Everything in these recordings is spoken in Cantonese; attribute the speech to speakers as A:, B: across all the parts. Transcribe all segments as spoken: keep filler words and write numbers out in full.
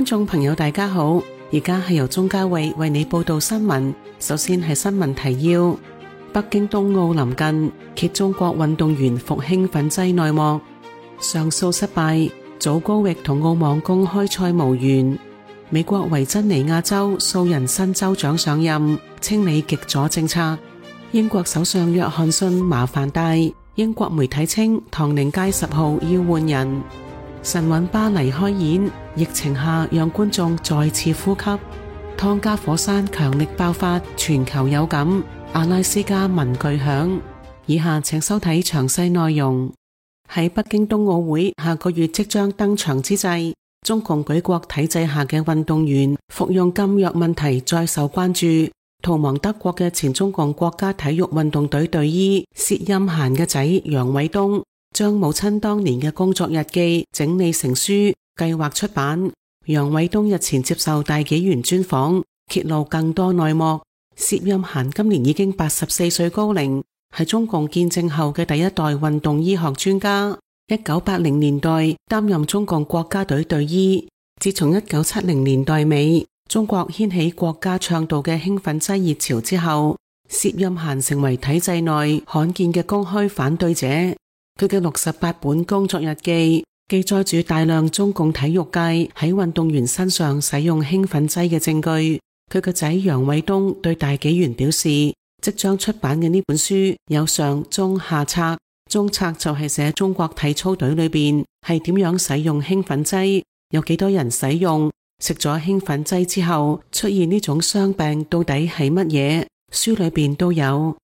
A: 觀眾朋友大家好，而家係由鍾嘉慧為你報道新聞。首先係新聞提要：北京冬奧臨近，揭中國運動員服興奮劑內幕。上訴失敗，祖高域同澳網公開賽無緣。美國維珍尼亞州數人新州長上任，清理極左政策。英國首相約翰遜麻煩大，英國媒體稱唐寧街十號要換人。神韻巴黎開演，疫情下讓觀眾再次呼吸。湯加火山強力爆發，全球有感。阿拉斯加聞巨響。以下請收睇詳細內容。喺北京冬奧會下個月即將登場之際，中共舉國體制下嘅運動員服用禁藥問題再受關注。逃亡德國嘅前中共國家體育運動隊隊醫薛蔭嫻嘅仔楊偉東將母親當年嘅工作日記整理成書，計劃出版。楊偉東日前接受大紀元專訪，揭露更多內幕。薛蔭嫻今年已經八十四歲高齡，係中共建政後嘅第一代運動醫學專家。一九八零年代擔任中共國家隊隊醫，自從一九七零年代尾中國掀起國家倡導嘅興奮劑熱潮之後，薛蔭嫻成為體制內罕見嘅公開反對者。佢嘅六十八本工作日記記載住大量中共體育界喺運動員身上使用興奮劑嘅證據。佢個仔楊偉東對大紀元表示，即將出版嘅呢本書有上中下冊，中冊就係寫中國體操隊裏邊係點樣使用興奮劑，有幾多人使用，食咗興奮劑之後出現呢種傷病到底係乜嘢，書裏邊都有。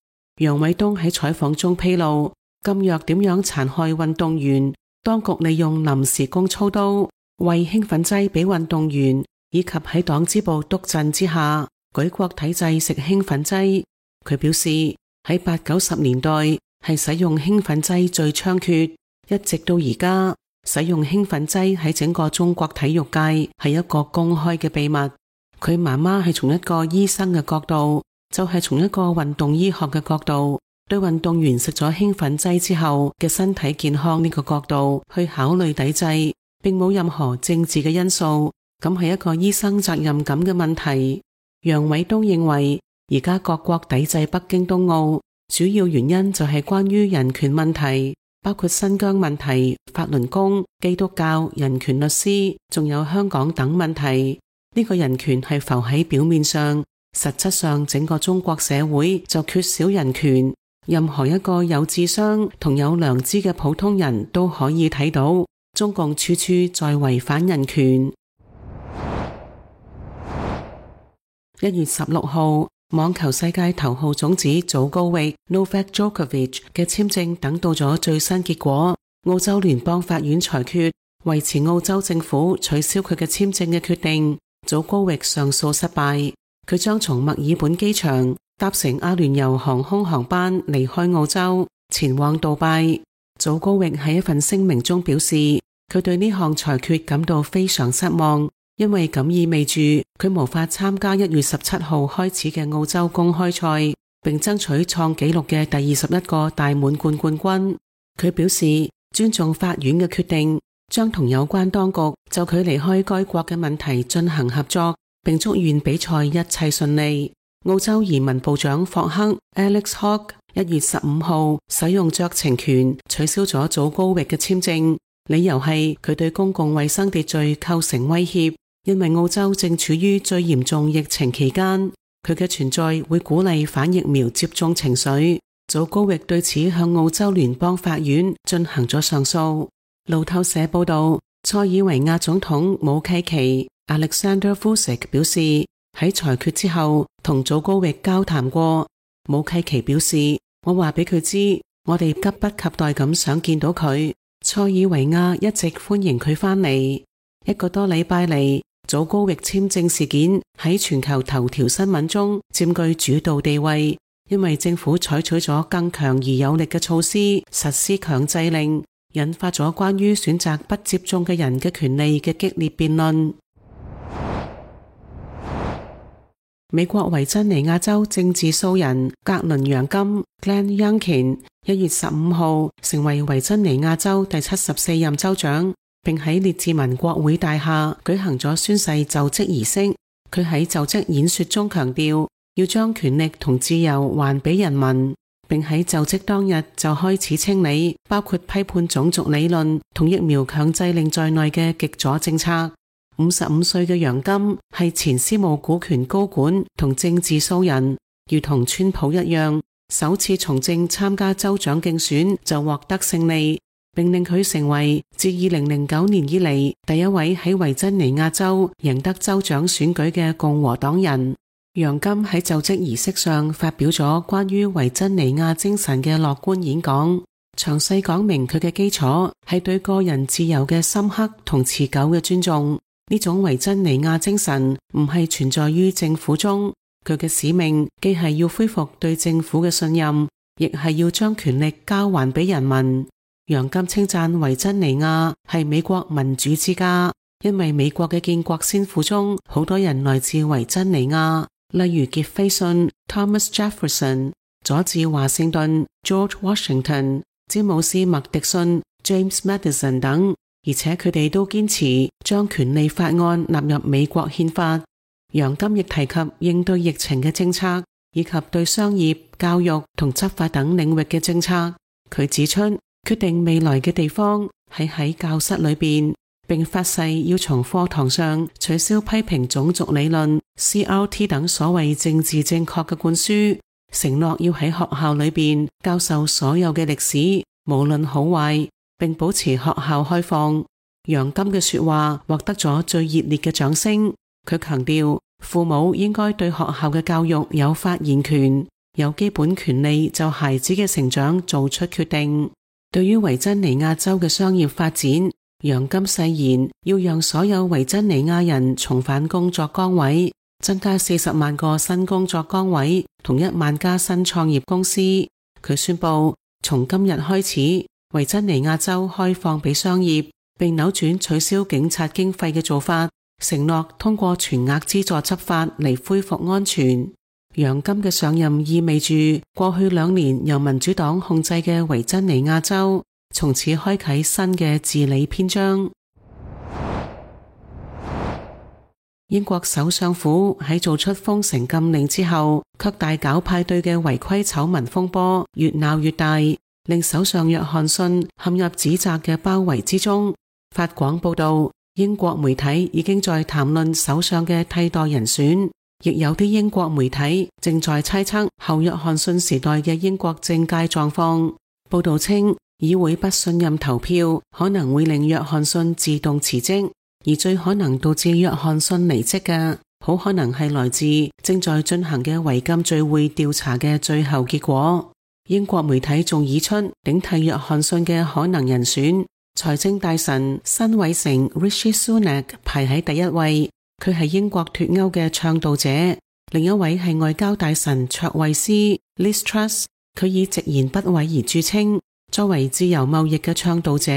A: 楊偉東喺採訪中披露，禁藥點樣殘害運動員，當局利用臨時工操刀餵興奮劑俾運動員，以及喺黨支部督陣之下舉國體制食興奮劑。佢表示喺八九十年代係使用興奮劑最猖獗，一直到而家使用興奮劑喺整個中國體育界係一個公開嘅秘密。佢媽媽係從一個醫生嘅角度，就係從一個運動醫學嘅角度，對運動員食咗興奮劑之後嘅身體健康呢個角度去考慮抵制，並冇任何政治嘅因素。咁係一個醫生責任感嘅問題。楊偉東認為，而家各國抵制北京冬奧，主要原因就係關於人權問題，包括新疆問題、法輪功、基督教、人權律師，仲有香港等問題。呢個人權係浮喺表面上，實質上整個中國社會就缺少人權。任何一個有智商同有良知嘅普通人都可以睇到，中共處處在違反人權。一月十六號，網球世界頭號種子祖高域 Novak Djokovic 嘅簽證等到咗最新結果。澳洲聯邦法院裁決維持澳洲政府取消佢嘅簽證嘅決定。祖高域上訴失敗，佢將從墨爾本機場搭乘阿聯酋航空航班離開澳洲，前往杜拜。祖高域喺一份聲明中表示，佢對呢項裁決感到非常失望，因為咁意味住佢無法參加一月十七號開始嘅澳洲公開賽，並爭取創紀錄嘅第二十一個大滿貫冠軍。佢表示尊重法院嘅決定，將同有關當局就佢離開該國嘅問題進行合作，並祝願比賽一切順利。澳洲移民部長霍克 Alex Hawke 一月十五號使用酌情權取消咗祖高域嘅簽證，理由係佢對公共衛生秩序構成威脅。因為澳洲正處於最嚴重疫情期間，佢嘅存在會鼓勵反疫苗接種情緒。祖高域對此向澳洲聯邦法院進行咗上訴。路透社報道，塞爾維亞總統武契奇 Alexander Vučić 表示，喺裁決之後同祖高域交談過。武契奇表示，我話俾佢知，我哋急不及待咁想見到佢。塞爾維亞一直歡迎佢返嚟。一個多禮拜嚟，祖高域簽證事件喺全球頭條新聞中佔據主導地位，因為政府採取咗更強而有力嘅措施，實施強制令，引發咗關於選擇不接種嘅人嘅權利嘅激烈辯論。美國維珍尼亞州政治素人格倫楊金 Glenn Youngkin 一月十五號成為維珍尼亞州第七十四任州長，並喺列治文國會大廈舉行咗宣誓就職儀式。佢喺就職演說中強調，要將權力同自由還俾人民，並喺就職當日就開始清理包括批判種族理論同疫苗強制令在內嘅極左政策。五十五歲嘅楊金係前私募股權高管同政治素人，如同川普一樣，首次從政參加州長競選就獲得勝利，並令佢成為自二零零九年以嚟第一位喺維珍尼亞州贏得州長選舉嘅共和黨人。楊金喺就職儀式上發表咗關於維珍尼亞精神嘅樂觀演講，詳細講明佢嘅基礎係對個人自由嘅深刻同持久嘅尊重。呢種維珍尼亞精神唔係存在於政府中，佢嘅使命既係要恢復對政府嘅信任，亦係要將權力交還俾人民。楊金稱讚維珍尼亞係美國民主之家，因為美國嘅建國先父中好多人來自維珍尼亞，例如傑斐遜 Thomas Jefferson、佐治華盛頓 George Washington、詹姆斯麥迪遜 James Madison 等。而且佢哋都堅持將權利法案納入美國憲法。楊金亦提及應對疫情嘅政策，以及對商業、教育同執法等領域嘅政策。佢指出，決定未來嘅地方係喺教室裏邊，並發誓要從課堂上取消批評種族理論 C R T 等所謂政治正確嘅灌輸，承諾要喺學校裏邊教授所有嘅歷史，無論好壞，並保持學校開放。楊金嘅說話獲得咗最熱烈嘅掌聲。佢強調，父母應該對學校嘅教育有發言權，有基本權利就孩子嘅成長做出決定。對於維珍尼亞州嘅商業發展，楊金誓言要讓所有維珍尼亞人重返工作崗位，增加四十萬個新工作崗位同一萬家新創業公司。佢宣布，從今日開始，維珍尼亞州開放俾商業，並扭轉取消警察經費嘅做法，承諾通過全額資助執法嚟恢復安全。楊金嘅上任意味住過去兩年由民主黨控制嘅維珍尼亞州從此開啟新嘅治理篇章。英國首相府喺做出封城禁令之後，卻大搞派對嘅違規醜聞風波越鬧越大，令首相約翰遜陷入指責嘅包圍之中。法廣報道，英國媒體已經在談論首相嘅替代人選，亦有啲英國媒體正在猜測後約翰遜時代嘅英國政界狀況。報道稱，議會不信任投票可能會令約翰遜自動辭職，而最可能導致約翰遜離職嘅，好可能係來自正在進行嘅違禁聚會調查嘅最後結果。英國媒體仲擬出頂替約翰遜嘅可能人選，財政大臣辛偉誠 Rishi Sunak 排喺第一位，佢係英國脫歐嘅倡導者。另一位係外交大臣卓慧思 Liz Truss， 佢以直言不諱而著稱，作為自由貿易嘅倡導者，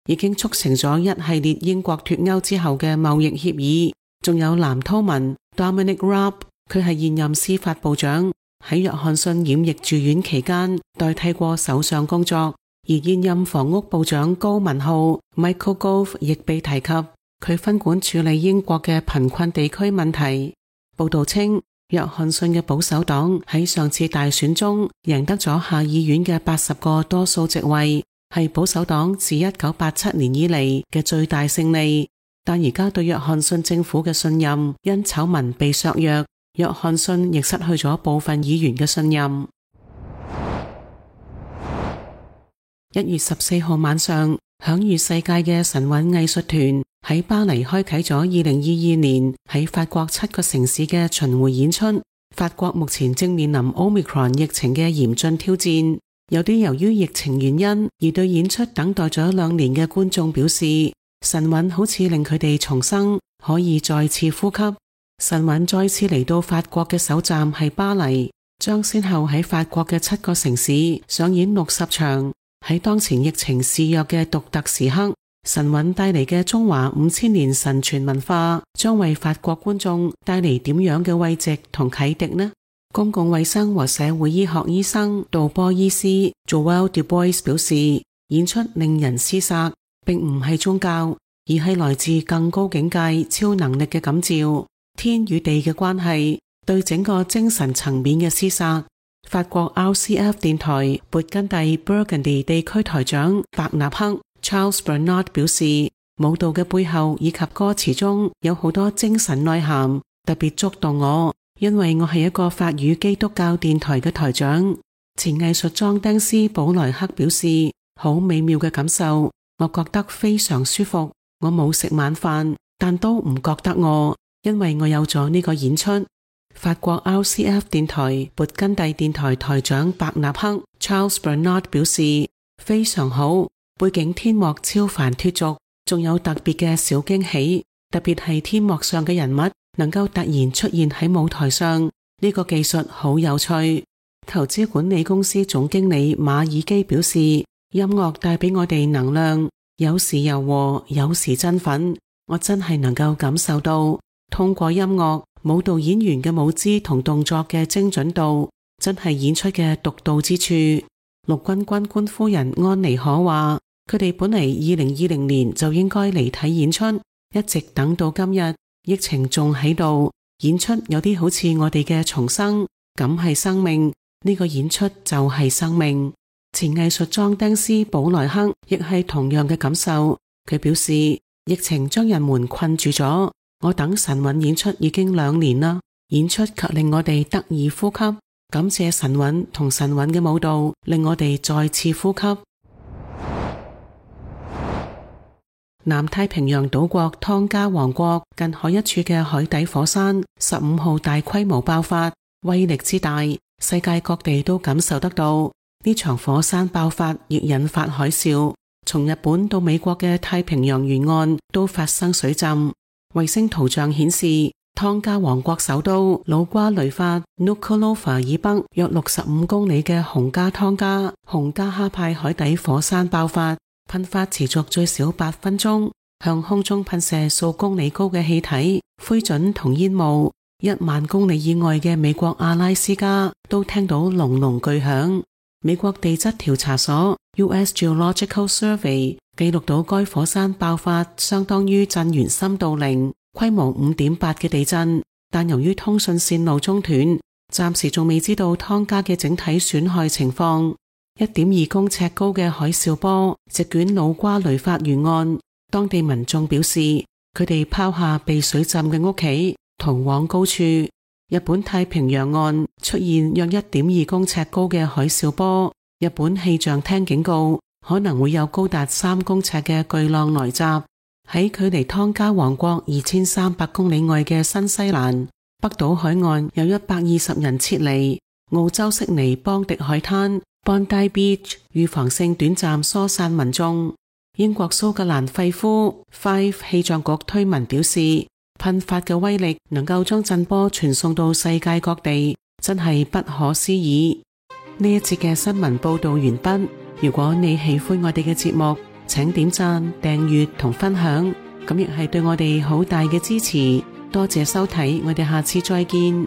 A: 已經促成咗一系列英國脫歐之後嘅貿易協議。仲有藍韜文 Dominic Raab， 佢係現任司法部長，喺約翰遜染疫住院期間代替過首相工作。而現任房屋部長高文浩 Michael Gove 亦被提及，佢分管處理英國嘅貧困地區問題。報道稱，約翰遜嘅保守黨喺上次大選中贏得咗下議院嘅八十個多數席位，係保守黨自一九八七年以嚟嘅最大勝利。但而家對約翰遜政府嘅信任因醜聞被削弱，約翰遜亦失去咗部分議員嘅信任。一月十四號晚上，享譽世界嘅神韻藝術團喺巴黎開啟咗二零二二年喺法國七個城市嘅巡迴演出。法國目前正面臨 Omicron 疫情嘅嚴峻挑戰，有啲由於疫情原因而對演出等待咗兩年嘅觀眾表示，神韻好似令佢哋重生，可以再次呼吸。神韻再次嚟到法國嘅首站係巴黎，將先後喺法國嘅七個城市上演六十場。喺當前疫情肆虐嘅獨特時刻，神韻帶嚟嘅中華五千年神傳文化將為法國觀眾帶嚟點樣嘅慰藉同啟迪呢？公共衛生和社會醫學醫生杜波醫師 Joël Dubois 表示，演出令人廝殺，並唔係宗教，而係來自更高境界、超能力嘅感召。天與地嘅關係，對整個精神層面嘅廝殺。法國 R C F 電台勃艮第 Burgundy 地區台長伯納克 Charles Bernard 表示，舞蹈嘅背後以及歌詞中有好多精神內涵，特別觸動我，因為我係一個法語基督教電台嘅台長。前藝術裝釘師保萊克表示，好美妙嘅感受，我覺得非常舒服。我冇食晚飯，但都唔覺得餓，因為我有咗呢個演出。法國 R C F 電台勃艮第電台台長伯納克 Charles Bernard 表示，非常好，背景天幕超凡脫俗，仲有特別嘅小驚喜，特別係天幕上嘅人物能夠突然出現喺舞台上，呢個技術好有趣。投資管理公司總經理馬爾基表示，音樂帶俾我哋能量，有時柔和，有時振奮，我真係能夠感受到，通過音樂，舞蹈演員嘅舞姿同動作嘅精準度，真係演出嘅獨到之處。陸軍軍官夫人安妮可話，佢哋本嚟二零二零年就應該嚟睇演出，一直等到今日，疫情仲喺度，演出有啲好似我哋嘅重生，咁係生命，呢個演出就係生命。前藝術裝釘師保萊克亦係同樣嘅感受，佢表示，疫情將人們困住咗，我等神韻演出已經兩年啦，演出卻令我哋得以呼吸，感謝神韻同神韻嘅舞蹈，令我哋再次呼吸。南太平洋島國湯加王國近海一處嘅海底火山十五號大規模爆發，威力之大，世界各地都感受得到。呢場火山爆發亦引發海嘯，從日本到美國嘅太平洋沿岸都發生水浸。衛星圖像顯示，湯加王國首都努瓜雷法 Nuku'alofa 以北約六十五公里嘅洪加湯加洪加哈派海底火山爆發，噴發持續最少八分鐘，向空中噴射數公里高嘅氣體、灰燼同煙霧。一萬公里以外嘅美國阿拉斯加都聽到隆隆巨響。美國地質調查所 U S Geological Survey 記錄到該火山爆發相當於震源深度零、規模五點八嘅地震，但由於通訊線路中斷，暫時仲未知道湯加嘅整體損害情況。一點二公尺高嘅海嘯波席捲努瓜雷法沿岸，當地民眾表示，佢哋拋下被水浸嘅屋企，逃往高處。日本太平洋岸出現約一點二公尺高嘅海嘯波，日本氣象廳警告可能會有高達三公尺嘅巨浪來襲。喺距離湯加王國二千三百公里外嘅新西蘭北島海岸有一百二十人撤離。澳洲悉尼邦迪海灘 Bondi Beach 預防性短暫疏散民眾。英國蘇格蘭費夫 Fife 氣象局推文表示，噴發嘅威力能夠將震波傳送到世界各地，真係不可思議。呢一節嘅新聞報道完畢。如果你喜歡我哋嘅節目，請點讚、訂閱同分享，咁亦係對我哋好大嘅支持。多謝收睇，我哋下次再見。